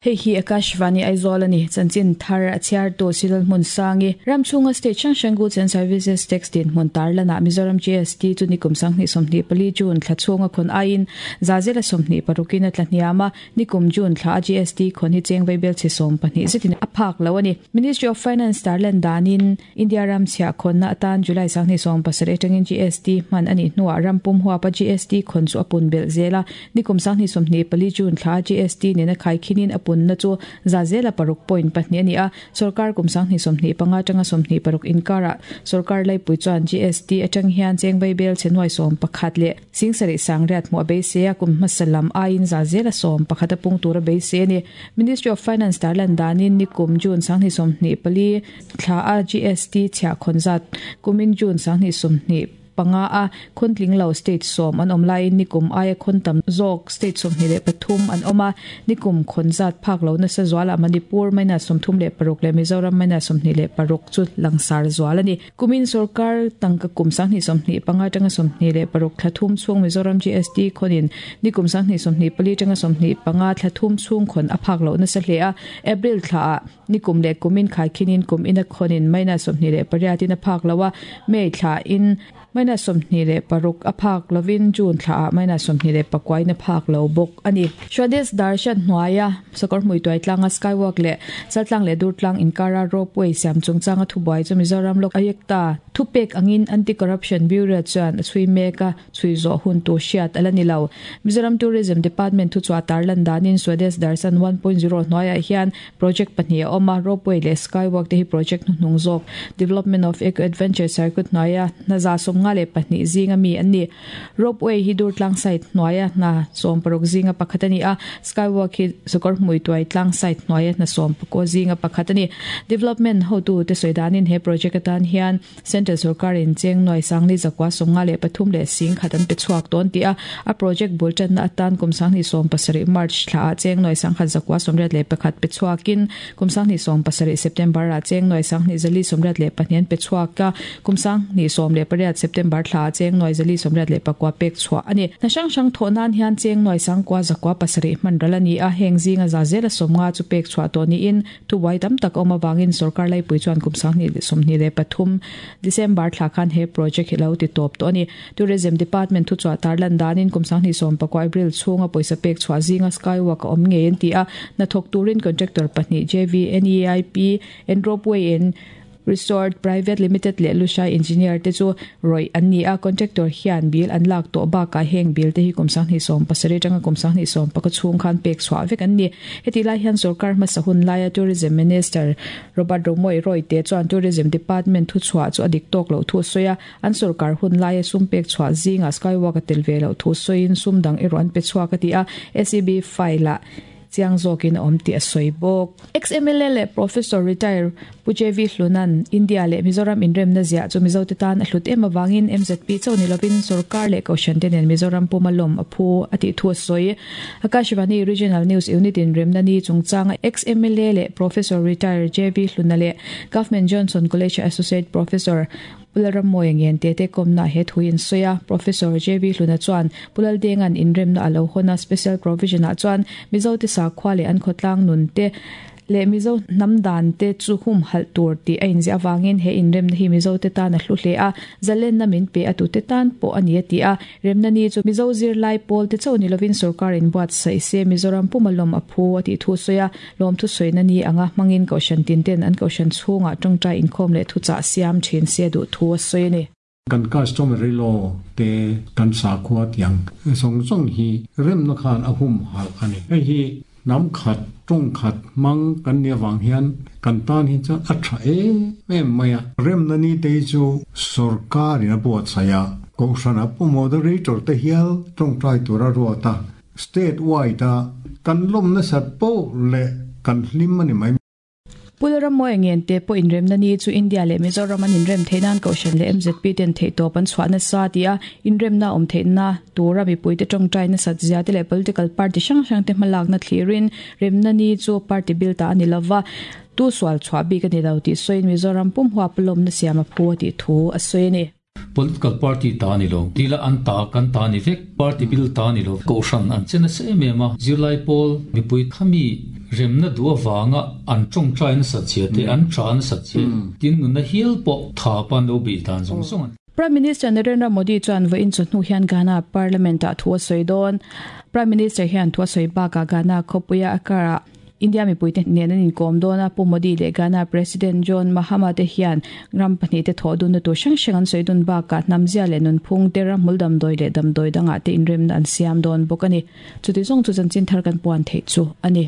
Hei hi Akashvani Aizawl a ni. Chanchin thar a chhiartu Silal Hmunsangi, ram chhunga state hrang hrang Goods and Services Tax dinhmun tarlanah Mizoram GST chu nikum 2024 June thla chhunga khawn aiin za zela 26 in a tla hniam a, nikum June thla a GST khawn hi cheng vaibel chhe 12 zetin a phak lo a ni. Ministry of Finance tarlan danin India ram chhiah khawnna atan July 2017 atangin GST hman a nih hnuah ram pum huapa GST khawn chu a pun belh zel a, Nikum 2024 June thla GST nena khaikhinin a punna chu za zela paruk point pahnih a ni a, sorkar kum 2025 atanga 26 inkarah sorkar laipui chuan GST atang hian cheng vaibel chhe nuai 11 leh singsarih sangriat hmuh a beisei a, kum hmasa lam aiin za zela 11 a pung tur a beisei a ni. Ministry of Finance tarlan danin nikum June 2024 thla a GST chhiah khawn zat kumin June 2025 a khawntling lo state 10 an awm laiin nikum aia khawn tam zawk state 23 an awm a, nikum khawn zat phak lo nasa zualah Manipur minus 36 leh Mizoram minus 26 chu langsar zual a ni. Kumin sorkar tangka kum 2025 atanga 26 thla thum chhung Mizoram GST khawnin nikum 2024 atanga 25 thla thum chhung khawn a phak lo nasa hle a, April thlaah nikum leh kumin khaikhinin kum ina khawnin minus 28 in a phak lo a, May thlain minus 26 a phak lovin June thlaah minus 29 in a phak lo bawk a ni. Swadesh Darshan hnuaia sakawr hmui tuai tlanga skywalk leh Chaltlang leh Durtlang inkara ropeway siam chungchanga thubuai chu Mizoram Lok Ayukta thupek angin Anti-Corruption Bureau chuan a chhui mek a, chhui zawh hun tur hriat a la ni lo. Mizoram Tourism Department thuchhuah tarlan danin Swadesh Darshan 1.0 hnuaiah hian Project pahnih a awm a, ropeway leh skywalk te hi project hnuhnung zawk Development of Eco Adventure Circuit hnuaia hna 52 zinga mi an ni. Ropeway hi Durtlang site hnuaia hna 60 zinga pakhat a ni a, skywalk hi Sakawrhmui tuai tlang site hnuaia hna 19 zinga pakhat a ni. Development hotu te sawi danin he project atan hian Central sorkarin cheng nuai sangli zakua 53 leh sing khat an pe chhuak dawn tih a, a project bul tanna atan kum 2017 March thlaah cheng nuai sangkhat zakua 81 pe chhuakin kum 2017 September ah cheng nuai sanghnih zali 82 an pe chhuak a, kum 2018 September thlaah cheng nuai zali 89 pek chhuah a ni. Hna hrang hrang thawh nan hian cheng nuai sangkua zakua pasarih hman ral a ni a, heng zinga za zela 50 chu pek chhuah tawh niin Thubuai tam tak a awm avangin sorkar laipui chuan kum 2023 December thla khan he project hi lo ti tawp tawh a ni. Tourism Department thuchhuah tarlan danin kum 2019 April chhunga pawisa pek chhuah zinga skywalk a awm ngei an ti a, hnathawk turin contractor pahnih JVNEIP and Ropeway and Resort Private Limited leh Lushai Engineer te chu rawih an ni a, contractor hian bill an lak tawh bakah heng bill te hi kum 2017 atanga kum 2019 chhung khan pek chhuah vek an ni. Hetih lai hian sorkar hmasa hun laia Tourism Minister Robert Romawia Royte chuan Tourism Department thuchhuah chu a dik tawk loh thu a sawi a, an sorkar hun laia sum pek chhuah zingah skywalk a tel ve loh thu sawiin sum dang erawh an pe chhuak a ti a, SEB file-ah chiang zawkin a awm tih a sawi bawk. Ex-MLA leh Professor retire Pu JV Hlunan India leh Mizoram inremna ziah chu Mizote tan a hlut em avangin MZP chauh ni lovin sorkar leh kohhran te nen Mizoram puma lawm a phu a tih thu a sawi. Akashvani Regional News Unit inremna ni chungchanga ex-MLA leh Professor retire JV Hluna leh Government Johnson College Associate Professor Pu Lalrammawia ngen te te kawmna he thu in sawi a, Professor JV Hluna chuan Pu Laldenga'n inremna a lo hawn a, Special Provision ah chuan Mizote sakhua leh an khawtlang nun te leh Mizo hnam dan te chu humhalh tur tih a inziah avangin he inremna hi Mizote tan a hlu hle a, zalenna min pe a tute tan pawh a ni a ti a, remna ni chu Mizo zirlai pawl te chauh ni lovin sorkar in buatsaih se Mizoram puma lawm a phu a tih thu sawi a. Lawmthu sawina ni anga hmangin Kohhran tinten an Kohhran chhungah tawngtai inkhawm leh thuchah siam thin se duh thu a sawi a ni. Kan customary law te kan sakhua tiang zawng zawng hi remna khan a humhalh a ni. Hei hi hnam khat, tawng khat hmang kan nih avang hian kan tan hi chuan a tha em em mai a. Remna ni te hi chu sorkarin a buatsaih a, Kohhrana pu moderator te hial tawngtai tura ruat a, State wide a kan lawm nasat poh leh kan hlim a ni mai. Pu Lalrammawi ngen te pawh inremna ni chu India leh Mizoram an inrem theih nan Kohhran leh MZP ten theihtawp an chhuah nasa ti a, inremna awm theihna tura mipuite tawngtai nasat zia te leh political party hrang hrang te hmalakna thlirin remna ni chu party bil ta a ni lova, tu sual chhuah bik a ni lo tih sawiin Mizoram pum huap lawmna siam a phu a tih thu a sawi a ni. Political party ta a ni lo. Tila an ta, kan ta a ni vek. Party bil ta a ni lo. Kohhran an che nasa em em a. Zirlai pawl mipui khami Remna duh avanga an tawngtai nasat zia te, an tha nasat zia, tin nunna hial pawh tha pan lo beih dan zawng zawng an. Prime Minister Narendra Modi chuan vawiin chawhnu hian Ghana Parliament-ah thu a sawi dawn. Prime Minister hian thu a sawi bakah Ghana khawpuia Accra-ah India mipuite nen an inkawm dawn a, Pu Modi leh Ghana President John Mahama te hian ram pahnihte thawh dunna tur hrang hrang an sawi dun bakah hnamzia leh nunphung te, ramhmul damdawi leh damdawi dangah te inremna an siam dawn bawk a ni. Chuti zawng chu chanchin thar kan puan theih chu a ni.